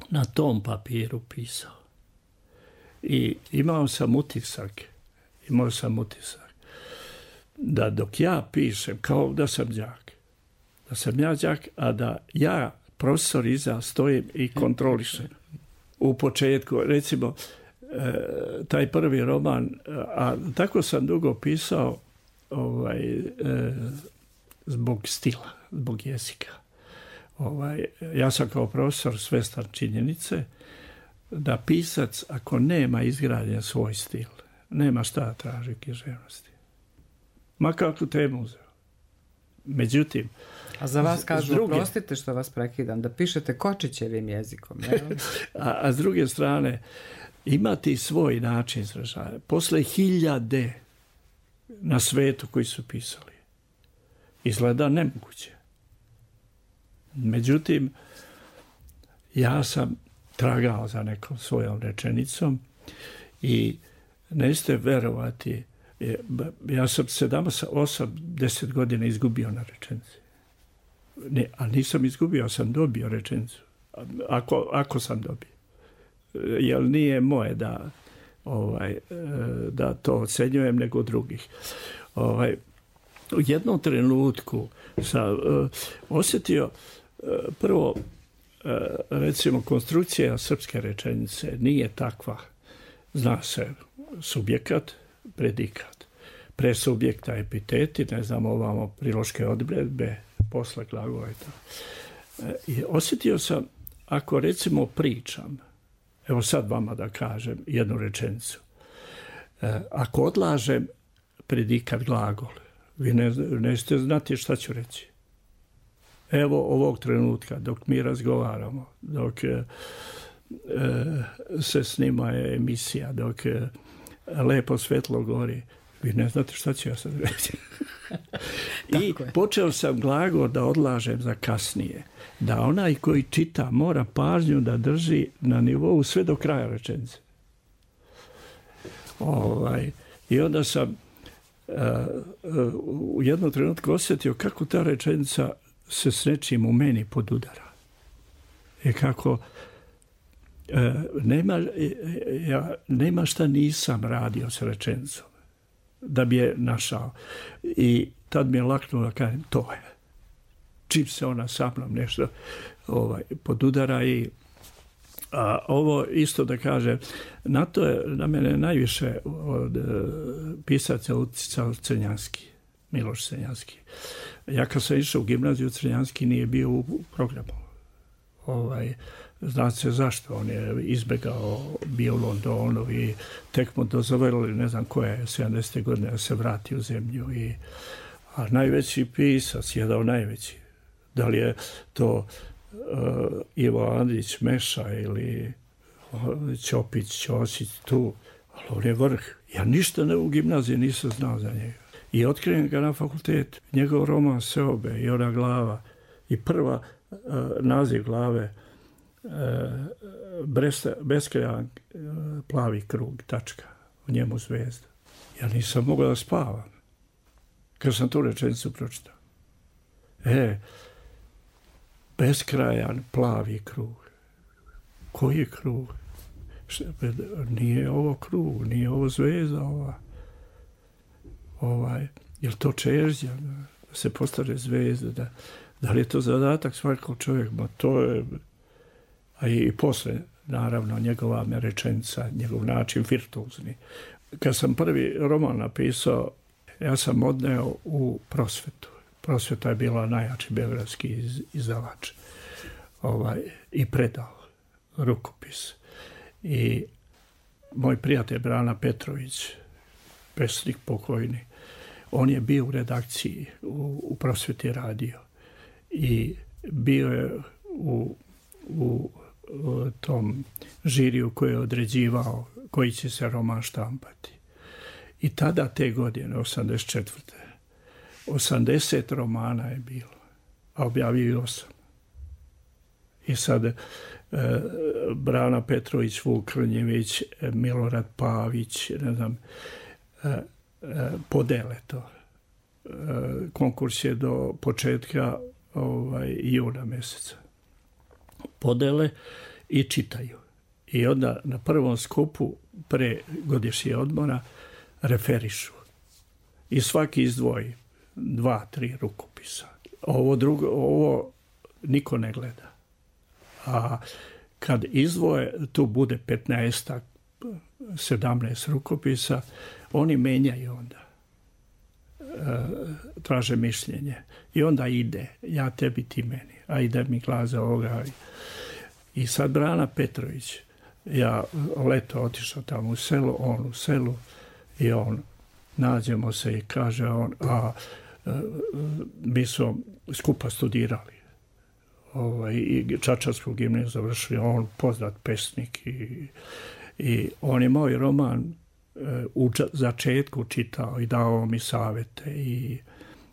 na tom papiru pisao. I imao sam utisak, imao sam utisak da dok ja pišem, kao da sam đak, da sam ja đak, a da ja, profesor iza, stojim i kontrolišem. U početku, recimo, taj prvi roman, a tako sam dugo pisao ovaj, zbog stila, zbog jezika. Ovaj, ja sam kao profesor svestan činjenice da pisac, ako nema izgrađen svoj stil, nema šta traži književnosti. Ma kakvu temu uzeo. Međutim, a za vas kažu, druge, prostite što vas prekidam, da pišete Kočićevim jezikom. a, a s druge strane, imati svoj način izražaja. Posle hiljade na svetu koji su pisali, izgleda nemoguće. Međutim, ja sam tragao za nekom svojom rečenicom i nećete verovati, ja sam sedam, osam, deset godina izgubio na rečenici. Ne, a nisam izgubio, ja sam dobio rečenicu. Ako, ako sam dobio. Jer nije moje da, ovaj, da to ocenjujem nego drugih. Ovaj, u jednom trenutku sam uh, osjetio uh, prvo, uh, recimo, konstrukcija srpske rečenice nije takva. Zna se subjekat, predikat. Pre subjekta epiteti, ne znam, ovamo priloške odredbe, posle glagola i to. Uh, I osjetio sam, ako recimo pričam, evo sad vama da kažem jednu rečenicu. E, ako odlažem predikat glagol, vi ne, nećete znati šta ću reći. Evo ovog trenutka, dok mi razgovaramo, dok e, se snima emisija, dok e, lepo svetlo gori, vi ne znate šta ću ja sad reći. I počeo sam glagol da odlažem za kasnije. Da onaj koji čita mora pažnju da drži na nivou sve do kraja rečenice. Ovaj, I onda sam uh, uh, u jednom trenutku osjetio kako ta rečenica se s nečim u meni podudara. I kako uh, nema, ja, nema šta nisam radio sa rečenicom da bi je našao. I tad mi je laknulo da kažem, to je. Čim se ona sa mnom nešto ovaj, podudara i a, ovo isto da kažem, na to je na mene najviše od uh, pisaca uticao Crnjanski, Miloš Crnjanski. Ja kad sam išao u gimnaziju, Crnjanski nije bio u programu. Ovaj, zna se zašto, on je izbegao, bio u Londonu i tek mu dozvolili, ne znam koja je, sedamdesete godine da se vrati u zemlju. I, a najveći pisac, jedan najveći, da li je to uh, Ivo Andrić Meša ili Ćopić, Ćosić tu, ali on je vrh. Ja ništa ne, u gimnaziji nisam znao za njega. I otkrijem ga na fakultetu. Njegov roman Seobe i ona glava i prva uh, naziv glave uh, beskrajan uh, plavi krug, tačka, u njemu zvezda. Ja nisam mogao da spavam kad sam tu rečenicu pročitao. E, beskrajan plavi krug. Koji je krug? Nije ovo krug, nije ovo zvezda ova. Ovaj, je li to čežnja? se postane zvezda, da, da li je to zadatak svakog čovjeka, ma to je, a i, i posle, naravno, njegova me rečenica, njegov način virtuozni. Kad sam prvi roman napisao, ja sam odneo u Prosvetu. Prosveta je bila najjači beogradski iz, izdavač. Ovaj, i predao rukopis. I moj prijatelj Brana Petrović, pesnik pokojni, on je bio u redakciji, u, u Prosveti radio. I bio je u, u, u tom žiriju koji je određivao koji će se roman štampati. I tada te godine, osamdeset četvrte osamdeset romana je bilo, a objavio i osam. I sad e, Brana Petrović, Vuk Krnjević, Milorad Pavić, ne znam, e, e, podele to. E, konkurs je do početka ovaj, juna mjeseca. Podele i čitaju. I onda na prvom skupu pre godišnje odmora referišu. I svaki izdvoji dva, tri rukopisa. Ovo drugo, ovo niko ne gleda. A kad izdvoje, tu bude petnaest, sedamnaest rukopisa, oni menjaju onda. E, traže mišljenje. I onda ide, ja tebi, ti meni. A ide mi glaza ovoga. I sad Brana Petrović, ja leto otišao tamo u selo, on u selu, i on, nađemo se i kaže on, a mi smo skupa studirali. Ovaj, i Čačarsku gimnaziju završili, on poznat pesnik i, i on je moj roman u začetku čitao i dao mi savjete i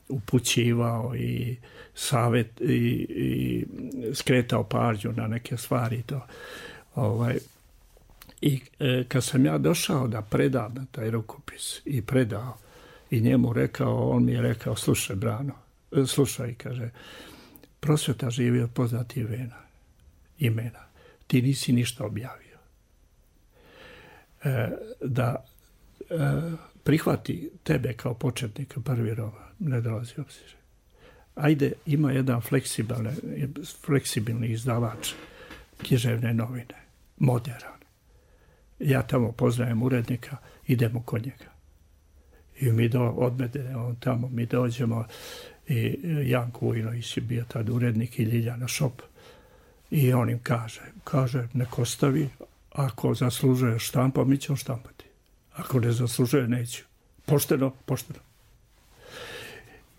upućivao i savjet i, i skretao pažnju na neke stvari. To. Ovaj, I e, kad sam ja došao da predam na taj rukopis i predao i njemu rekao, on mi je rekao, slušaj Brano, slušaj, kaže, Prosveta živi od poznatih vena, imena. Ti nisi ništa objavio. E, da e, prihvati tebe kao početnika prvi roman, ne dolazi obzir. Ajde, ima jedan fleksibilni, fleksibilni izdavač književne novine, moderan. Ja tamo poznajem urednika, idemo kod njega. I mi do, odmede on tamo, mi dođemo i Janko Ujnović je bio tad urednik i Ljiljana Šop. I on im kaže, kaže, nek ostavi, ako zaslužuje štampa, mi ćemo štampati. Ako ne zaslužuje, neću. Pošteno, pošteno.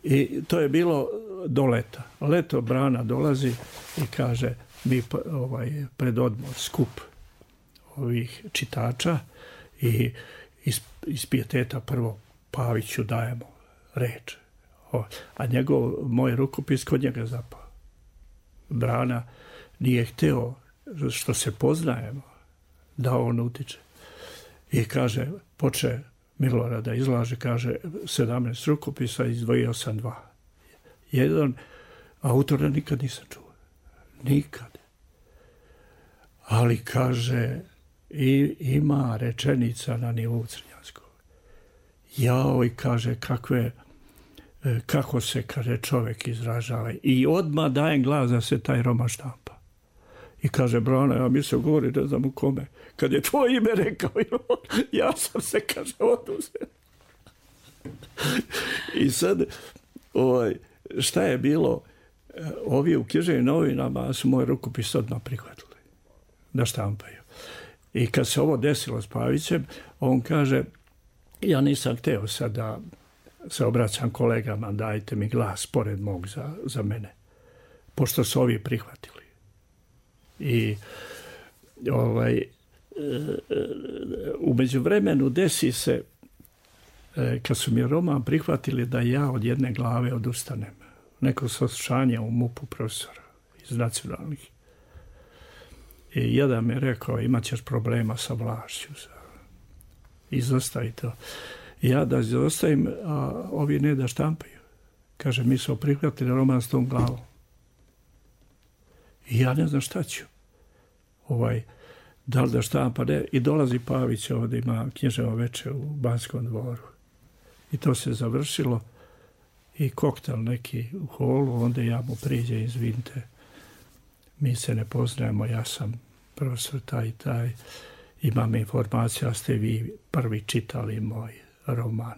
I to je bilo do leta. Leto Brana dolazi i kaže, mi ovaj, pred odmor, skup ovih čitača i iz, iz pijeteta prvo Paviću dajemo reč. O, a njegov, moj rukopis kod njega zapao. Brana nije hteo, što se poznajemo, da on utiče. I kaže, poče Milorad da izlaže, kaže, sedamnaest rukopisa, izdvojio sam dva. Jedan autora nikad nisam čuo. Nikad. Ali kaže, i ima rečenica na nivou crnjanskog. Jao, i kaže, kakve, kako se, kaže, čovjek izražava. I odmah dajem glas da se taj roman štampa. I kaže, Brana, ja mislim, govori, ne znam u kome. Kad je tvoje ime rekao, ja sam se, kaže, oduzeo. I sad, ovaj, šta je bilo, ovi u književnim novinama su moj rukopis odmah prihvatili da štampaju. I kad se ovo desilo s Pavićem, on kaže, ja nisam hteo sad da se obraćam kolegama, dajte mi glas pored mog za, za mene, pošto su ovi prihvatili. I ovaj, u međuvremenu desi se, kad su mi roman prihvatili, da ja od jedne glave odustanem. Neko saslušanje u MUP-u profesora iz nacionalnih. I jedan mi je rekao, imat ćeš problema sa vlašću. Izostavi to. I ja da izostavim, a ovi ne da štampaju. Kaže, mi smo prihvatili roman s tom glavom. I ja ne znam šta ću. Ovaj, da li da štampa, ne. I dolazi Pavić, ovdje ima književno veče u Banskom dvoru. I to se završilo. i koktel neki u holu, onda ja mu priđe, izvinite, mi se ne poznajemo, ja sam profesor taj i taj, imam informaciju, a ste vi prvi čitali moj roman.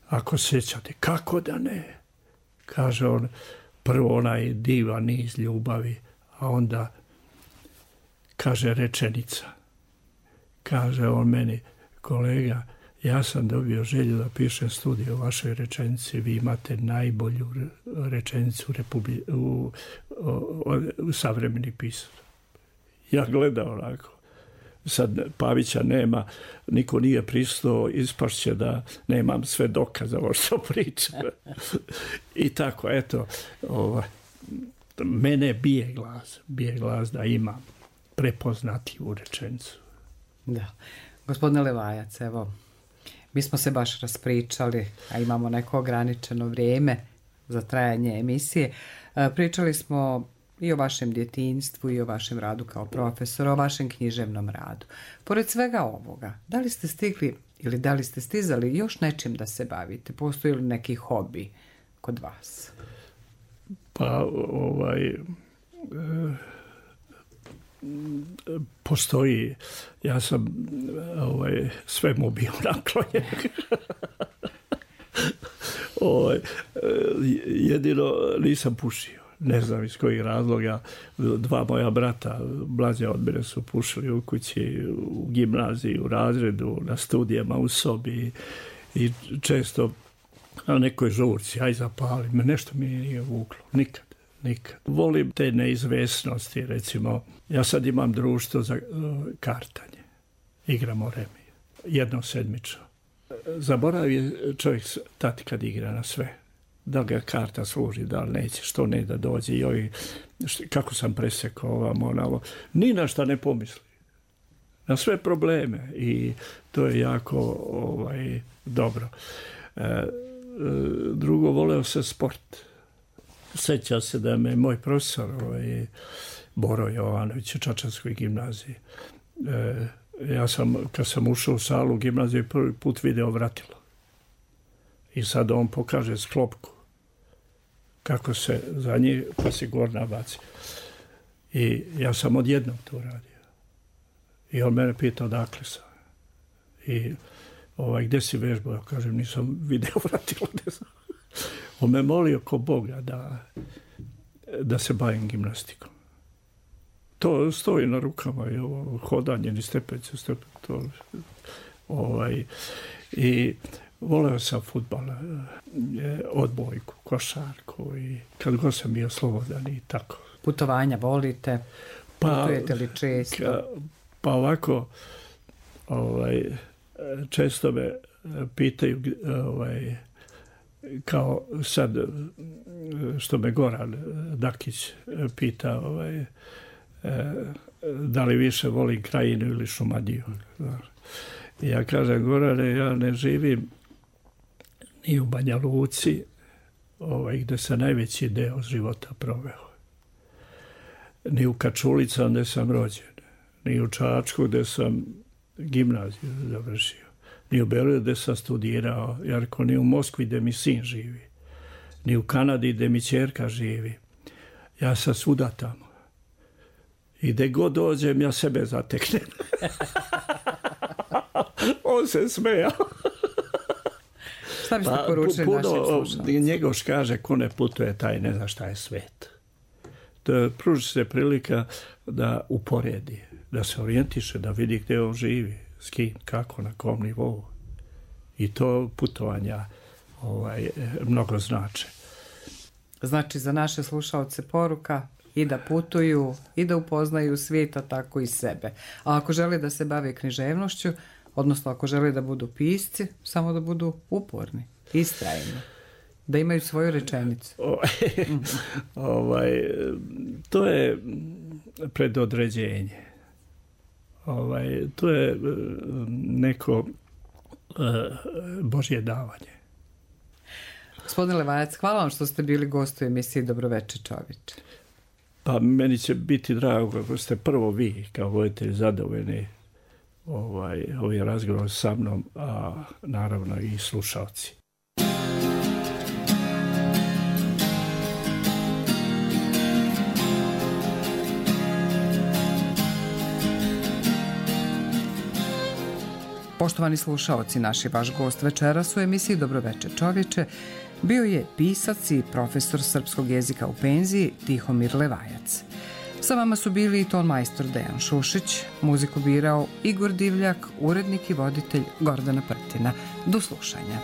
Ako sjećate, kako da ne? Kaže on, prvo onaj divan niz ljubavi, a onda kaže rečenica. Kaže on meni, kolega, ja sam dobio želju da pišem studiju o vašoj rečenici, vi imate najbolju rečenicu Republi, u, u, u savremeni pisac. Ja gledam onako. Sad Pavića nema, niko nije pristao, ispašće da nemam sve dokaza ovo što pričam. I tako, eto, ovaj, mene bije glas, bije glas da imam prepoznatljivu rečenicu. Da. Gospodine Levajac, evo, mi smo se baš raspričali, a imamo neko ograničeno vrijeme za trajanje emisije. Pričali smo i o vašem djetinjstvu i o vašem radu kao profesor, o vašem književnom radu. Pored svega ovoga, da li ste stigli ili da li ste stizali još nečim da se bavite? Postoji li neki hobi kod vas? Pa, ovaj... E, postoji, ja sam ovaj, svemu bio naklonjen. ovaj, jedino nisam pušio. Ne znam iz kojih razloga. Dva moja brata, mlađe od mene, su pušili u kući, u gimnaziji, u razredu, na studijama, u sobi i često na nekoj žurci, aj zapali me, nešto mi nije vuklo, nikad. Nikad. Volim te neizvesnosti, recimo, ja sad imam društvo za uh, kartanje. Igramo remi. Jednom sedmično. Zaboravi čovjek tati kad igra na sve. Da ga karta služi, da li neće, što ne da dođe. I ovi, što, kako sam presekao ovam, onavo. Ni na šta ne pomisli. Na sve probleme. I to je jako ovaj, dobro. E, e, drugo, voleo se sport. Sjeća se da me moj profesor ovaj, Boro Jovanović u Čačanskoj gimnaziji. E, ja sam, kad sam ušao u salu u gimnaziji, prvi put video vratilo. I sad on pokaže sklopku kako se za njih, pa se gorna baci. I ja sam odjednom to radio. I on mene pitao odakle sam. I ovaj, gdje si vežbao? Ja kažem, nisam video vratilo, gdje sam. On me molio ko Boga da, da se bavim gimnastikom. To stoji na rukama i ovo hodanje, ni stepenice, stepenice, to, ovaj, i voleo sam fudbal, odbojku, košarku i kad god sam bio slobodan i tako. Putovanja volite? Pa, putujete li često? Ka, pa ovako, ovaj, često me pitaju, ovaj, kao sad što me Goran Dakić pita ovaj, da li više volim Krajinu ili Šumadiju. Ja kažem, Gorane, ja ne živim ni u Banja Luci, ovaj, gdje sam najveći deo života proveo. Ni u Kačulicama gdje sam rođen, ni u Čačku gdje sam gimnaziju završio. Ni u Beogradu gdje sam studirao, Jarko, ni u Moskvi gdje mi sin živi, ni u Kanadi gdje mi ćerka živi. Ja sam svuda tamo. I gdje god dođem, ja sebe zateknem. On se smejao. Šta biste pa, poručili puno, našim slušalcima? Njegoš kaže, ko ne putuje, taj ne zna šta je svet. To pruži se prilika da uporedi, da se orijentiše, da vidi gdje on živi. S kim, kako, na kom nivou. I to putovanja ovaj, mnogo znače. Znači, za naše slušalce poruka i da putuju, i da upoznaju svijeta, tako i sebe. A ako žele da se bave književnošću, odnosno ako žele da budu pisci, samo da budu uporni, istrajni, da imaju svoju rečenicu. Mm. ovaj, to je predodređenje. Ovaj, to je neko uh, Božje davanje. Gospodine Levajac, hvala vam što ste bili gost u emisiji Dobroveče čovječe. Pa meni će biti drago ako ste prvo vi kao voditelj zadovoljni ovaj, ovaj razgovor sa mnom, a naravno i slušalci. Poštovani slušaoci, naši vaš gost večeras u emisiji Dobroveče čovječe bio je pisac i profesor srpskog jezika u penziji Tihomir Levajac. Sa vama su bili i ton majstor Dejan Šušić, muziku birao Igor Divljak, urednik i voditelj Gordana Prtina. Do slušanja.